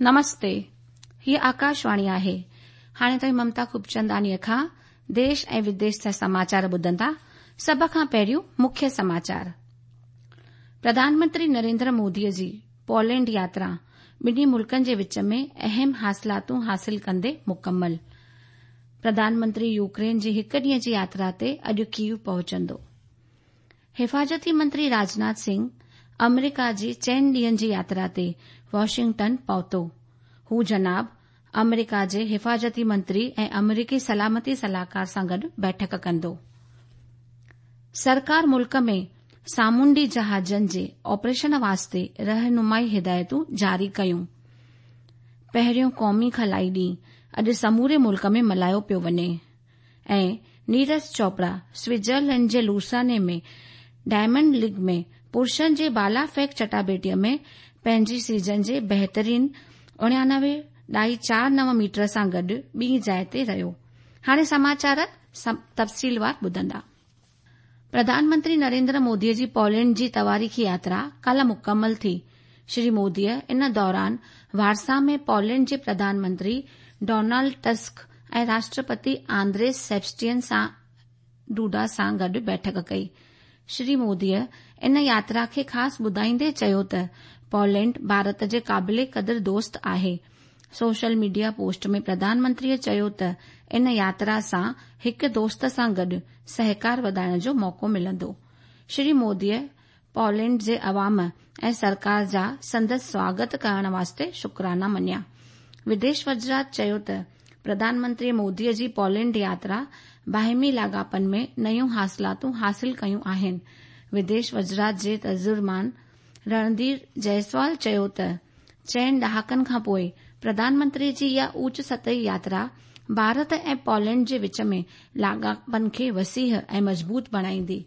نمستي، هيء آڪاشواڻي آهي. هاڻي توهين ممتا خوبچنداڻيء کان ديش ۽ وديش جا سماچار ٻڌندا. سڀ کان پهريون مکيه سماچار. پرڌان منتري نريندر موديء جي پولينڊ ياترا ٻنهي ملڪن جي وچ ۾ اهم حاصلاتون حاصل ڪندي مڪمل. پرڌان منتري يوڪرين جي هڪ ڏينهن جي ياترا تي اڄ ڪيو پهچندو. حفاظتي منتري راجناٿ سنگهه آمريڪا جي چئن ڏينهن جي ياترا تي واشنگٽن پهتو. هو جناب آمريڪا جي حفاظتي منتري ۽ آمريڪي سلامتي صلاحڪار سان گڏ بيٺڪ ڪندو. سرڪار ملڪ ۾ سامونڊي جهازن جي آپريشن واسطي رهنمائي هدايتون جاري ڪيون. پهريون قومي خلائي ڏينهن اڄ سموري ملڪ ۾ ملهايو پيو وڃي. ۽ نيرج چوپڙا سوئٽزرلينڊ جي لوساني ۾ ڊائمنڊ ليگ ۾ پرشن جي بالا ڦيڪ چٽاڀيٽيء ۾ پنهنجي سيزن جي بهترين 89 ڏائي چار نو ميٽر سان گڏ ٻي جاء تي رهيو. هاڻي سماچار تفصيلوار ٻڌندا. پرڌان منتري نريندر موديء جي پولينڊ جي تواريخي ياترا ڪالهه مڪمل ٿي. شري موديء ان دوران وارسا ۾ پولينڊ جي پرڌان منتري ڊونالڊ ٽسڪ ۽ راشٽرپتي آندريس سيبسٽين سان ڊوڊا سان گڏ بيٺڪ ڪئي. شري موديء ان ياترا کي خاص ٻڌائيندي چيو ته پولينڊ ڀارت جي قابل قدر دوست آهي. سوشل ميڊيا پوسٽ ۾ پرڌان منتريء چيو ته ان ياترا سان هڪ دوست سان گڏ سهڪار وڌائڻ جو موقعو ملندو. شري موديء پولينڊ جي عوام ۽ سرڪار جا سندس سواگت ڪرڻ واسطي شڪرانا مڃيا. وديش وزارت چيو ته پرڌان منتري موديء جي پولينڊ ياترا باهمي لاڳاپن ۾ نيون حاصلاتون حاصل ڪيون آهن. وديش وزارت جي ترجمان رڻڌير جئسوال چيو ته چئن ڏهاڪن کانپوء پرڌان منتري جي اها اوچ سطحي ياترا ڀارت ۽ پولينڊ جي وچ ۾ لاڳاپن کي وسيع ۽ مضبوط بڻائيندي.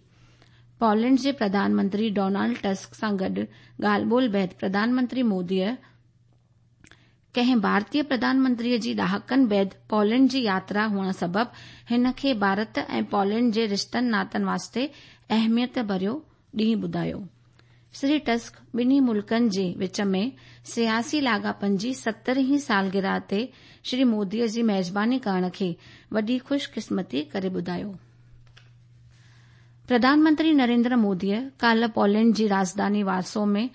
پولينڊ جي پرڌان منتري ڊونالڊ ٽسڪ سان گڏ ڳالهه ٻولهه بعد پرڌان منتري موديء ڪنهن ڀارتي پرڌان منتري جي ڏهاڪن بعد پولينڊ جي ياترا هئڻ سبب هن کي ڀارت ۽ پولينڊ جي رشتن ناتن واسطي اهميت ڀريو ڏينهن ٻڌايو. شري ٽسڪ ٻنهي ملڪن جي وچ ۾ سياسي لاڳاپن جي 70 هين سالگرهه تي شري مودي جي ميزباني ڪرڻ کي وڏي خوش قسمتي ڪري ٻڌايو. پرڌان منتري نريندر موديء ڪالهه پولينڊ جي راڄڌاني وارسو ۾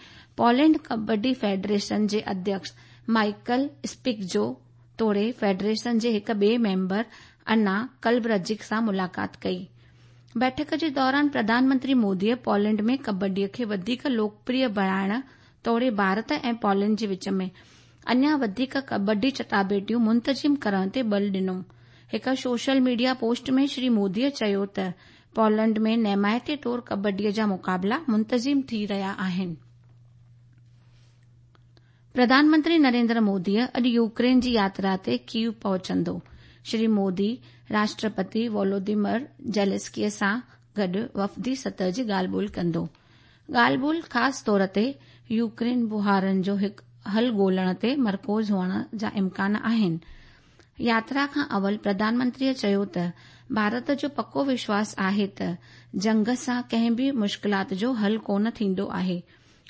پولينڊ ڪبڊي فيڊريشن جي اڌيڪش مائيڪل اسپڪجو توڙي فيڊريشن جي هڪ ٻئي ميمبر انا ڪلبرجڪ سان ملاقات ڪئي. بيٺڪ جي دوران پرڌان منتري موديء پولينڊ ۾ ڪبڊيء کي وڌيڪ لوڪپريه بڻائڻ توڙي ڀارت ۽ پولينڊ جي وچ ۾ اڃا وڌيڪ ڪبڊي چٽاڀيٽيون منتظم ڪرڻ تي ٻل ڏنو. هڪ سوشل ميڊيا پوسٽ ۾ شري موديء چيو ته پولينڊ ۾ نيمائتي طور ڪبڊيء جا مقابلا منتظم ٿي رهيا آهن. پرڌان منتري نريندر مودي اڄ يوڪرين جي ياترا تي ڪيو پهچندو. شري مودي راشٽرپتي وولوديمر زيلنسڪي سان گڏ وفدي سطح جي ڳالهه ٻولهه ڪندو. ڳالهه ٻولهه خاص طور تي يوڪرين بحران جو هڪ حل ڳولڻ تي مرڪوز هئڻ جا امڪان آهن. ياترا کان اول پرڌان منتريء چيو ته ڀارت جو پڪو وشواس آهي ته جنگ سان ڪنهن به مشڪلات جو حل ڪونه ٿيندو آهي.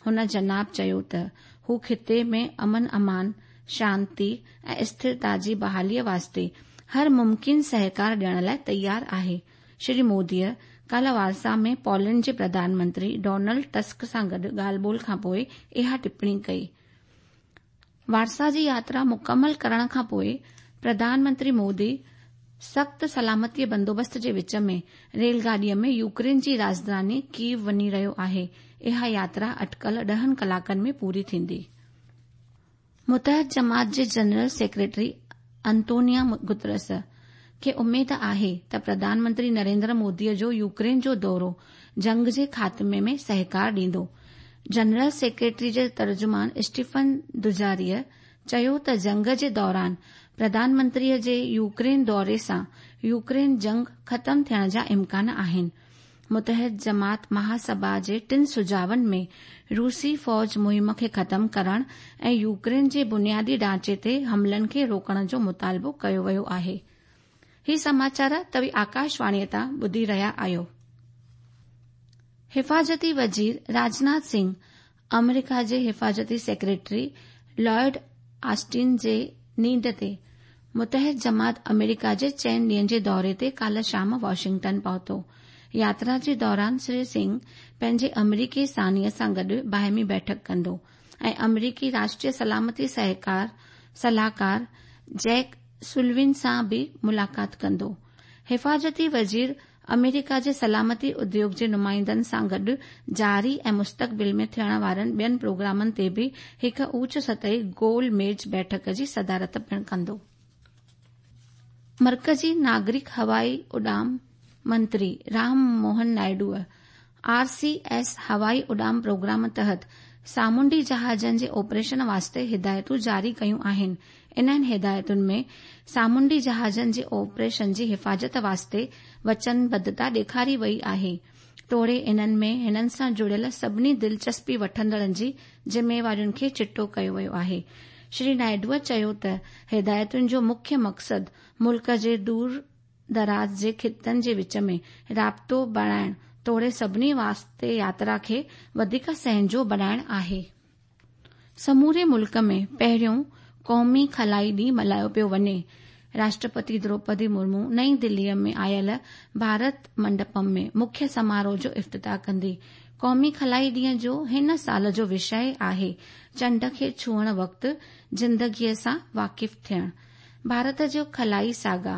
هن جناب چيو ته هو خطي ۾ امن امان، شانتي ۽ اسٿرتا جي بحاليء واسطي هر ممڪن سهڪار ڏيڻ لاء تيار آهي. شري موديء ڪالهه وارسا ۾ پولينڊ جي پرڌان منتري ڊونلڊ ٽسڪ سان گڏ ڳالهه ٻولهه کانپوء اها ٽپڻي ڪئي. وارسا جي ياترا مڪمل ڪرڻ کان پوء پرڌان منتري مودي سخت سلامتي بندوبست جي وچ ۾ ريل گاڏيء ۾ يوڪرين جي راڄڌاني ڪيو وڃي رهيو آهي. اها ياترا اٽڪل ڏهن ڪلاڪن ۾ پوري ٿيندي. متحد جماعت جي جنرل سيڪريٽري انتونيا گترس کي اميد آهي ته پرڌان منتري نريندر مودي جو يوڪرين جو دورو جنگ جي خاتمي ۾ سهڪار ڏيندو. جنرل سيڪريٽري جي ترجمان اسٽيفن دوجاريه چيو ته جنگ جي دوران پرڌان منتري جي يوڪرين دوري سان يوڪرين جنگ ختم ٿيڻ جا امڪان آهن. متحد جماعت مهاسڀا جي ٽن سجهاون ۾ روسي فوج مهم کي ختم ڪرڻ ۽ يوڪرين جي بنيادي ڍانچي تي حملن کي روڪڻ جو مطالبو ڪيو ويو آهي. هي سماچار توهين آڪاشواڻيء تان ٻڌي رهيا آهيو. حفاظتي وزير راجناٿ سنگهه آمريڪا جي حفاظتي سيڪريٽري لائيڊ آسٽن جي نينڍ تي متحد جماعت آمريڪا جي چئن ڏينهن جي دوري تي ڪالهه شام واشنگٽن پهتو. ياترا جي دوران شري سنگهه پنهنجي آمريڪي ثانيء سان گڏ باهمي بيٺڪ ڪندو ۽ آمريڪي راشٽريه سلامتي صلاحڪار جيڪ سوليون سان به ملاقات ڪندو. حفاظتي وزير آمريڪا جي سلامتي اديوگ جي نمائندن سان گڏ جاري ۽ مستقبل ۾ ٿيڻ وارن ٻين پروگرامن تي به هڪ اوچ سطحي گول ميز بيٺڪ جي صدارت پڻ ڪندو. مرڪزي ناگرڪ هوائي اڏام منتري رام موهن نائيڊوء آر سي ايس هوائي اڏام پروگرام تحت سامونڊي جهازن جي آپريشن واسطي هدايتون جاري ڪيون آهن. انهن هدايتن ۾ سامونڊي جهازن جي آپريشن جي حفاظت واسطي وچنبڌتا ڏيکاري وئي آهي توڙي انهن ۾ هنن سان جڙيل سڀني دلچسپي وٺندڙن جي ذميوارين کي چٽو ڪيو ويو آهي. شري نائيڊوء چيو ته هدايتن جو مکيه مقصد ملڪ جي دور دراز جي خطن جي وچ ۾ رابطو بڻائڻ توڙي سڀني واسطي ياترا کي وڌيڪ سهنجو بڻائڻ آهي. سموري ملڪ ۾ پهريون قومي خلائي ڏينهن ملهايو پيو وڃي. راشٽرپتي دروپدي مرمو نئين دهليء ۾ آيل ڀارت منڊپم ۾ مکيه سماروهه جو افتتاح ڪندي. قومي خلائي ڏينهن جو هن سال جو وشيه آهي چنڊ کي ڇهڻ وقت زندگيء سان واقف ٿيڻ. ڀارت جو خلائي ساگا،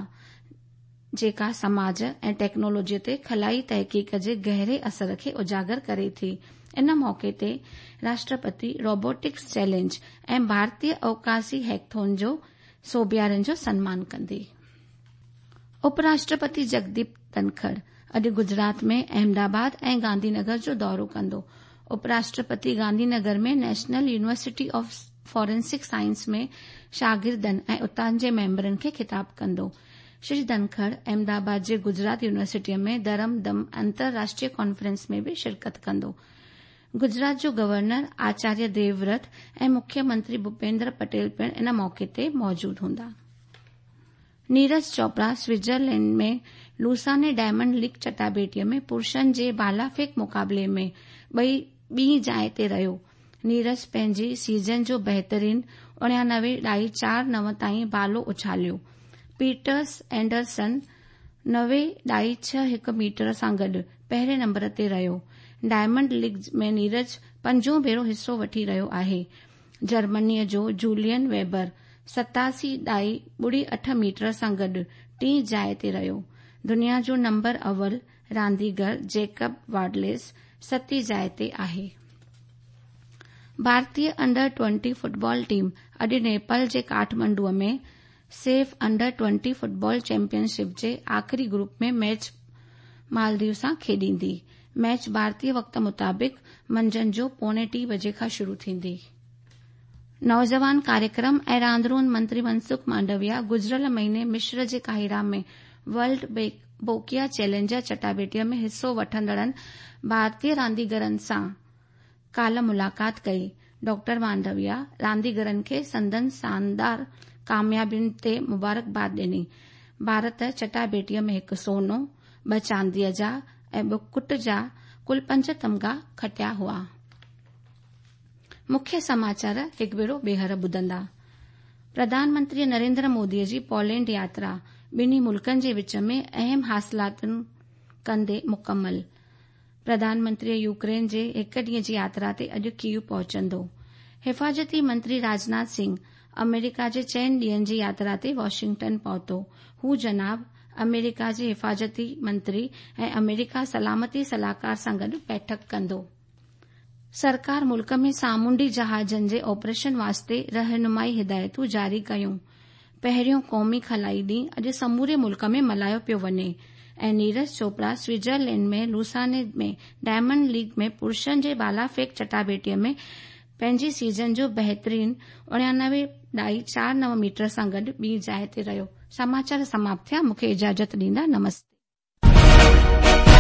جيڪا سماج ۽ ٽيڪنالاجيء تي خلائي تحقيق جي گهري اثر کي اجاگر ڪري ٿي. ان موقعي تي راشٽرپتي روبوٽڪس چئلينج ۽ ڀارتيه اوڪاسي هيڪٿون جو سوڀيارن جو سنمان ڪندي. اپ راشٽرپتي جگديپ ڌنکڙ اڄ گجرات ۾ احمدآباد ۽ گانڌي نگر جو دورو ڪندو. Up Rashtrapati Gandhi Nagar ۾ national university of forensic science ۾ شاگردن ۽ اتان جي ميمبرن کي خطاب ڪندو. شري ڌنکڙ احمدآباد جي گجرات يونيورسٽيء ۾ ڌرم ڌم انترراشٽريه ڪانفرنس ۾ به شرڪت ڪندو. گجرات جو گورنر آچاريه ديوورت ۽ مکيه منتري ڀوپيندر پٽيل پڻ ان موقعي تي موجود هوندا. Neeraj Chopra Switzerland ۾ Lausanne diamond league چٽاڀيٽيء ۾ پرشن جي ڀالا ڦيڪ مقابلي ۾ ٻئي ٻي جاء تي رهيو. نيرج پنهنجي سيزن جو بهترين اڻيانوي ڏائي چار نو تائين ڀالو اڇاليو. پيٽرس اينڊرسن نوي ڏائي ڇهه هڪ ميٽر سان گڏ پهرين نمبر تي رهيو. ڊائمنڊ ليگ ۾ نيرج پنجون ڀيرو حصو وٺي رهيو آهي. جرمنيء جو جولين ويبر 87 ڏائي ٻڙي اٺ ميٽر سان گڏ ٽين جاء تي رهيو. دنيا جو نمبر اول رانديگر جيڪب واڊليس ستين جاء تي آهي. ڀارتي انڊر ٽوئنٽي فٽبال ٽيم اڄ نيپال جي ڪاٺمنڊوء ۾ SAFF under twenty football championship جي آخري گروپ ۾ ميچ مالديو سان کيڏيندي. ميچ ڀارتي وقت مطابق منجهند جو پوڻي ٽي بجي کان شروع ٿيندي. نوجوان ڪاريڪرم ۽ راند روند منتري منسخ مانڊويا گذريل مهيني مصر جي قاهره ۾ ورلڊ بوڪيا چئلينجر چٽاڀيٽيء ۾ حصو وٺندڙن ڀارتي رانديگرن سان ڪالهه ملاقات ڪئي. ڊاڪٽر مانڊويا رانديگرن کي سندن شاندار ڪاميابين تي مبارڪباد ڏني. ڀارت چٽاڀيٽيء ۾ هڪ سونو، ٻه چانديء جا ۽ ٻه ڪٽ جا ڪل پنج تمغا کٽيا هئا. مکيه سماچار هڪ ڀيرو ٻيهر ٻڌندا. پرڌان منتري نريندر مودي جي پولينڊ ياترا ٻنهي ملڪن جي وچ ۾ اهم حاصلاتن ڪندي مڪمل. پرڌان منتري يوڪرين جي هڪ ڏينهن جي ياترا تي اڄ ڪيو پهچندو. حفاظتي منتري راجناٿ سنگهه آمريڪا جي چئن ڏينهن جي ياترا تي واشنگٽن پهتو. هو جناب آمريڪا جي حفاظتي منتري ۽ آمريڪا سلامتي صلاحڪار سان گڏ بيٺڪ ڪندو. سرڪار ملڪ ۾ سامونڊي جهازن جي آپريشن واسطي رهنمائي هدايتون جاري ڪيون. پهريون قومي خلائي ڏينهن اڄ سموري ملڪ ۾ ملهايو پيو وڃي ۽ Neeraj Chopra Switzerland ۾ لوساني ۾ diamond league ۾ پرشن جي ڀالا ڦيڪ چٽاڀيٽيء ۾ پنهنجي سيزن جو بهترين اڻيانوي ڏائي چار نو ميٽر سان گڏ ٻي جاء تي رهيو. سماچار سماپت ٿيا مون کي اجازت ڏيندا نمستي.